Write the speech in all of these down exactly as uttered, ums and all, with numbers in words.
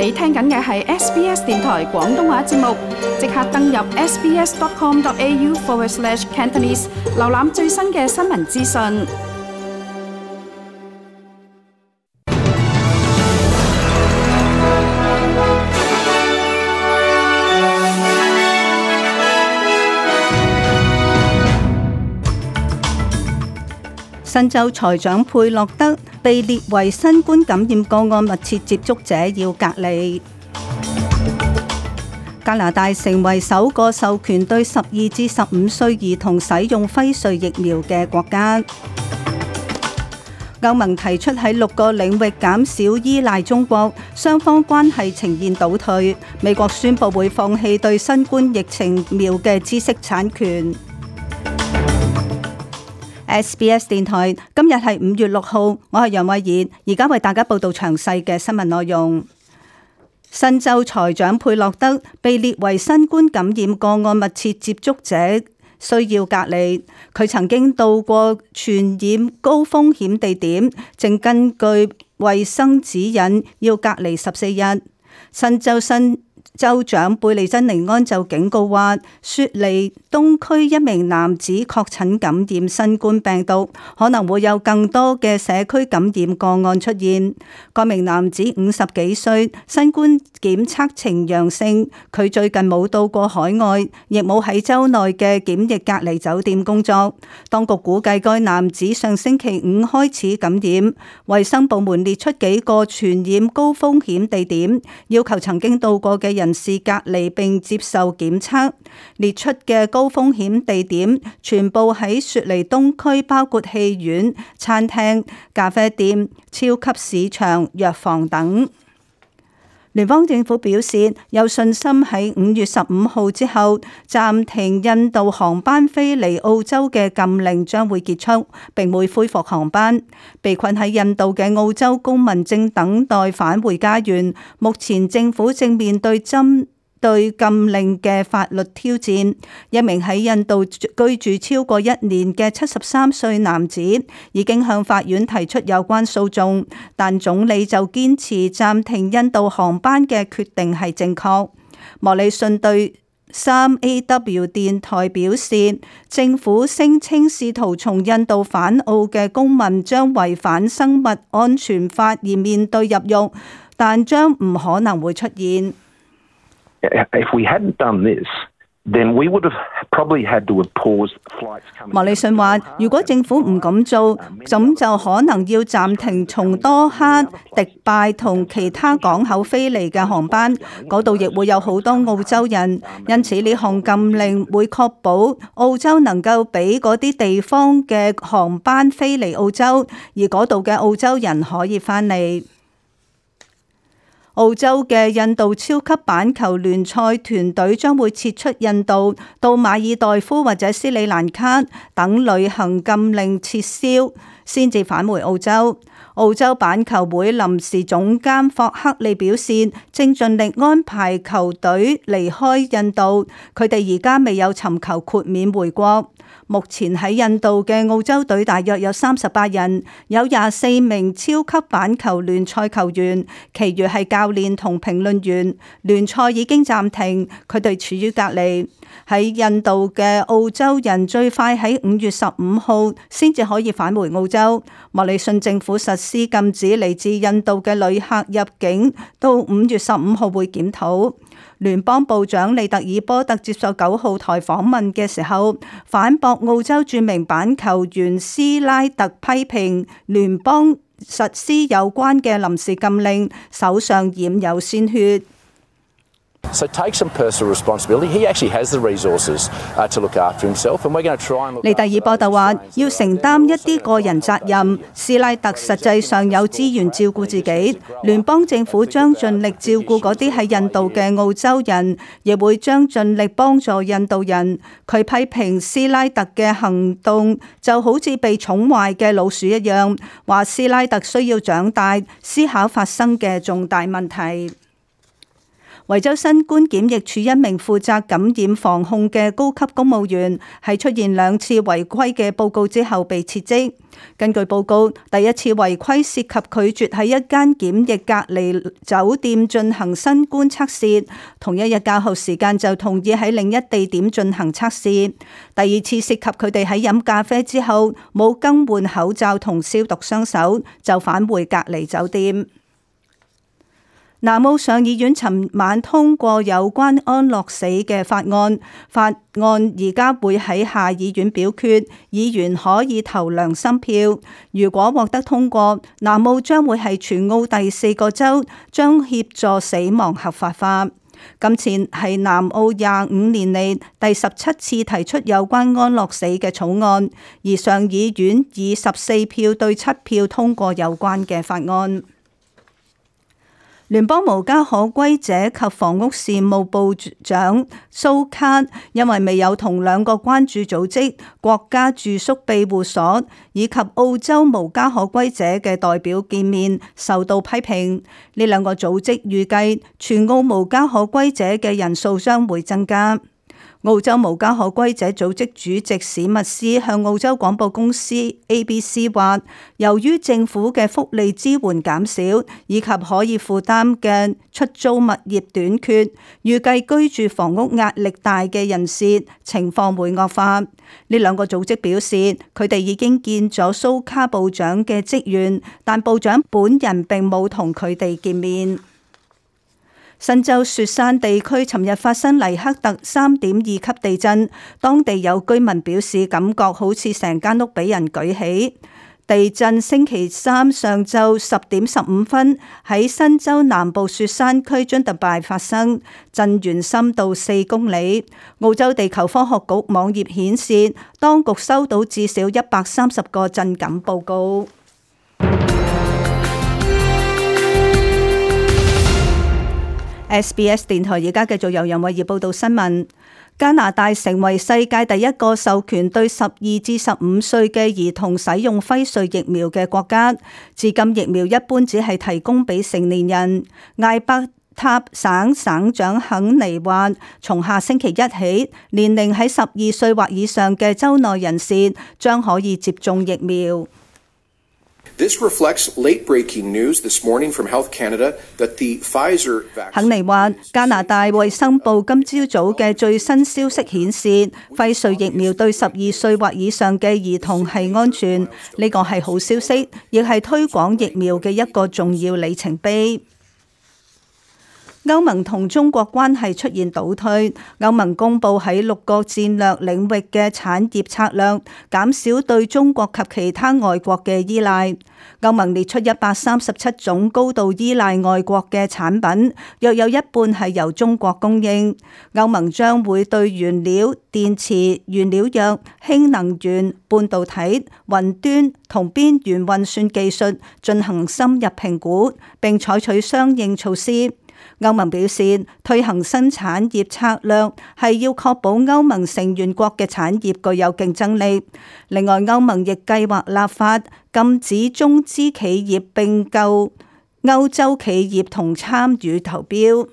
你聽緊嘅係 S B S 電台廣東話節目，即刻登入 sbs.com.au forward slash Cantonese， 瀏覽最新嘅新聞資訊。新州財長佩洛德被列為新冠感染個案密切接觸者，要隔離。加拿大成為首個授權對十二至十五歲兒童使用輝瑞疫苗嘅國家。歐盟提出喺六個領域減少依賴中國，雙方關係呈現倒退。美國宣布會放棄對新冠疫情疫苗嘅知識產權。S B S 電台今日係五月六號，我係楊慧儀，而家為大家報道詳細嘅新聞內容。新州財長佩洛德被列為新冠感染個案密切接觸者，需要隔離。佢曾經到過傳染高風險地點，正根據衛生指引要隔離十四日。新州新州長貝利珍尼安就警告話，雪梨東區一名男子確診感染新冠病毒，可能會有更多嘅社區感染個案出現。該名男子五十幾歲，新冠檢測呈陽性，佢最近冇到過海外，亦冇喺州內嘅檢疫隔離酒店工作。當局估計該男子上星期五開始感染。衛生部門列出幾個傳染高風險地點，要求曾經到過嘅人士隔離並接受檢測。列出嘅高風險地點全部喺雪梨東區，包括戲院、餐廳、咖啡店、超級市場、藥房等。聯邦政府表示有信心喺五月十五號之後暫停印度航班飛離澳洲嘅禁令將會結束，並會恢復航班。被困喺印度嘅澳洲公民正等待返回家園，目前政府正面對針對禁令嘅法律挑戰。一名喺印度居住超過一年嘅七十三歲男子已經向法院提出有關訴訟，但總理就堅持暫停印度航班嘅決定係正確。莫里遜對三 A W 電台表示，政府聲稱試圖從印度返澳嘅公民將違反生物安全法而面對入獄，但將唔可能會出現。If we hadn't done this, then we would have probably had to have paused flights coming. 莫里遜話：如果政府唔咁做，咁就可能要暫停從多哈、迪拜同其他港口飛嚟嘅航班，嗰度亦會有好多澳洲人。因此呢項禁令會確保澳洲能夠俾嗰啲地方嘅航班飛嚟澳洲，而嗰度嘅澳洲人可以返嚟。澳洲嘅印度超級板球聯賽團隊將會撤出印度，到馬爾代夫或者斯里蘭卡等旅行禁令撤銷，先至返回澳洲。澳洲板球會臨時總監霍克利表示，正盡力安排球隊離開印度，佢哋而家未有尋求豁免回國。目前喺印度嘅澳洲隊大約有三十八人，有廿四名超級板球聯賽球員，其餘係教練同評論員。聯賽已經暫停，佢哋處於隔離。喺印度嘅澳洲人最快喺五月十五號先至可以返回澳洲。莫里遜政府實施禁止嚟自印度嘅旅客入境，到五月十五號會檢討。聯邦部長利特爾波特接受九號台訪問嘅時候，反駁澳洲著名板球員斯拉特批評聯邦實施有關嘅臨時禁令，手上染有鮮血。So take some personal responsibility. He actually has the resources uh, to look after himself, and we're going to try and look. 利特爾波特話要承擔一啲個人責任。斯拉特實際上有資源照顧自己，聯邦政府將盡力照顧嗰啲喺印度嘅澳洲人，亦會將盡力幫助印度人。佢批評斯拉特嘅行動就好似被寵壞嘅老鼠一樣，話斯拉特需要長大，思考發生嘅重大問題。維州新冠檢疫處一名負責感染防控嘅高級公務員喺出現兩次違規嘅報告之後被撤職。根據報告，第一次違規涉及拒絕喺一間檢疫隔離酒店進行新冠測試，同一日較後時間就同意喺另一地點進行測試。第二次涉及佢哋喺飲咖啡之後冇更換口罩同消毒雙手，就返回隔離酒店。南澳上議院尋晚通過有關安樂死嘅法案，法案而家會喺下議院表決，議員可以投良心票。如果獲得通過，南澳將會係全澳第四個州將協助死亡合法化。今次係南澳廿五年嚟第十七次提出有關安樂死嘅草案，而上議院以十四票對七票通過有關嘅法案。聯邦無家可歸者及房屋事務部長蘇卡因為未有同兩個關注組織國家住宿庇護所以及澳洲無家可歸者嘅代表見面，受到批評。呢兩個組織預計全澳無家可歸者嘅人數將會增加。澳洲無家可歸者組織主席史密斯向澳洲廣播公司 A B C 話，由於政府嘅福利支援減少以及可以負擔嘅出租物業短缺，預計居住房屋壓力大嘅人士情況會惡化。呢兩個組織表示，佢哋已經見咗蘇卡部長嘅職員，但部長本人並冇同佢哋見面。新州雪山地區尋日發生黎克特三點二級地震，當地有居民表示感覺好似成間屋俾人舉起。地震星期三上晝十點十五分喺新州南部雪山區津特拜發生，震源深度四公里。澳洲地球科學局網頁顯示，當局收到至少一百三十個震感報告。S B S 電台而家繼續由楊慧儀報道新聞。加拿大成為世界第一個授權對十二至十五歲嘅兒童使用輝瑞疫苗嘅國家。至今疫苗一般只係提供俾成年人。艾伯塔省省長肯尼話，從下星期一起，年齡喺十二歲或以上嘅州內人士將可以接種疫苗。This reflects late-breaking news this morning from Health Canada that the Pfizer vaccine. 肯尼話，加拿大衛生部今朝早嘅最新消息顯示，輝瑞疫苗對十二歲或以上嘅兒童係安全，呢個係好消息，亦係推廣疫苗嘅一個重要里程碑。歐盟同中國關係出現倒退，歐盟公布喺六個戰略領域嘅產業策略，減少對中國及其他外國嘅依賴。歐盟列出一百三十七種高度依賴外國嘅產品，約有一半係由中國供應。歐盟將會對原料、電池、原料藥、氫能源、半導體、雲端同邊緣運算技術進行深入評估，並採取相應措施。歐盟表示，推行新產業策略係要確保歐盟成員國嘅產業具有競爭力。另外，歐盟亦計劃立法禁止中資企業併購歐洲企業同參與投標。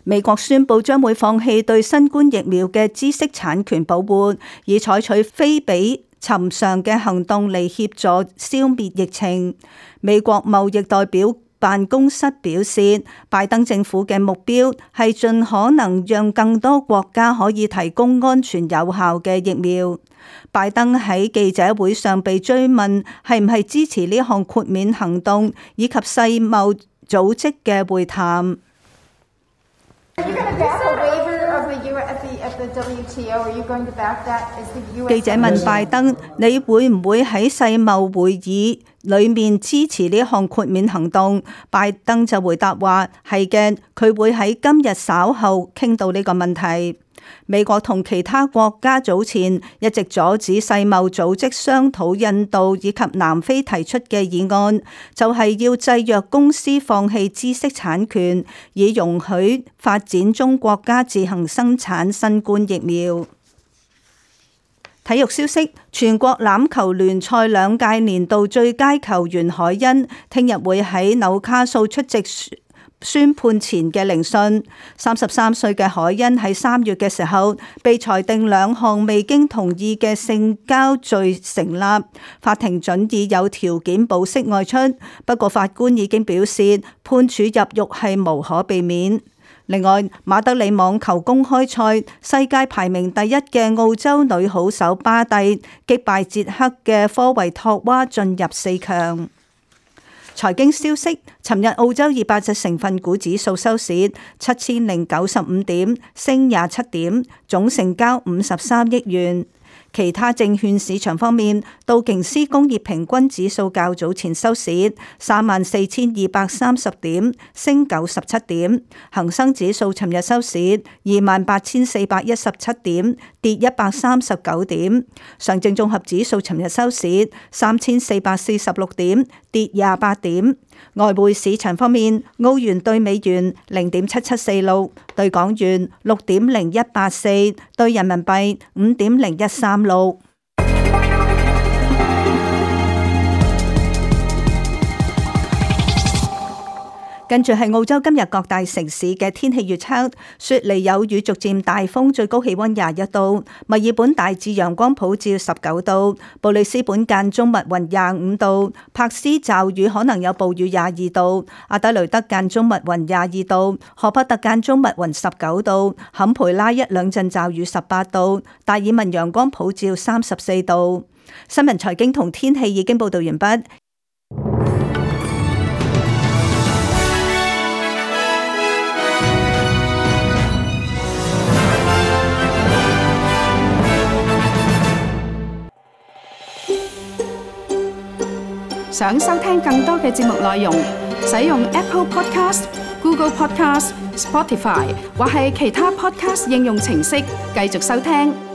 美國宣布將會放棄對新冠疫苗嘅知識產權保護，以採取非比尋常嘅行動嚟協助消滅疫情。美國貿易代表辦公室表示，拜登政府嘅目標係盡可能讓更多國家可以提供安全有效嘅疫苗。拜登喺記者會上被追問係唔係支持呢項豁免行動，以及世貿組織嘅會談。記者問拜登：你會唔會喺世貿會議裏面支持呢項豁免行動？拜登就回答話：係嘅，佢會喺今日稍後傾到呢個問題。美國同其他國家早前一直阻止世貿組織商討印度以及南非提出嘅議案，就係要制約公司放棄知識產權，以容許發展中國家自行生產新冠疫苗。體育消息：全國欖球聯賽兩屆年度最佳球員海恩，聽日會喺紐卡素出席宣判前嘅聆訊。三十三歲嘅海恩喺三月嘅時候被裁定兩項未經同意嘅性交罪成立，法庭准以有條件保釋外出，不過法官已經表示判處入獄係無可避免。另外，馬德里網球公開賽世界排名第一嘅澳洲女好手巴蒂擊敗捷克嘅科維托娃進入四強。財經消息，尋日澳洲二百隻成分股指數收市七千零九十五點，升廿七點，總成交五十三億元。其他證券市場方面，道瓊斯工業平均指數較早前收市三萬四千二百三十點，升九十七點；恒生指數尋日收市二萬八千四百一十七點，跌一百三十九點；上證綜合指數尋日收市三千四百四十六點，跌廿八點。外匯市場方面，澳元兌美元零點七七四六，兌港元六點零一八四，兌人民幣五點零一三六。跟住係澳洲今日各大城市嘅天氣預測：雪梨有雨，逐漸大風，最高氣溫廿一度；墨爾本大致陽光普照十九度；布里斯本間中密雲廿五度；柏斯驟雨可能有暴雨廿二度；阿德雷德間中密雲廿二度；荷伯特間中密雲十九度；坎培拉一兩陣驟雨十八度；達爾文陽光普照三十四度。新聞財經同天氣已經報道完畢。想收聽更多嘅節目內容，使用 Apple Podcast、Google Podcast、Spotify 或係其他 Podcast 應用程式繼續收聽。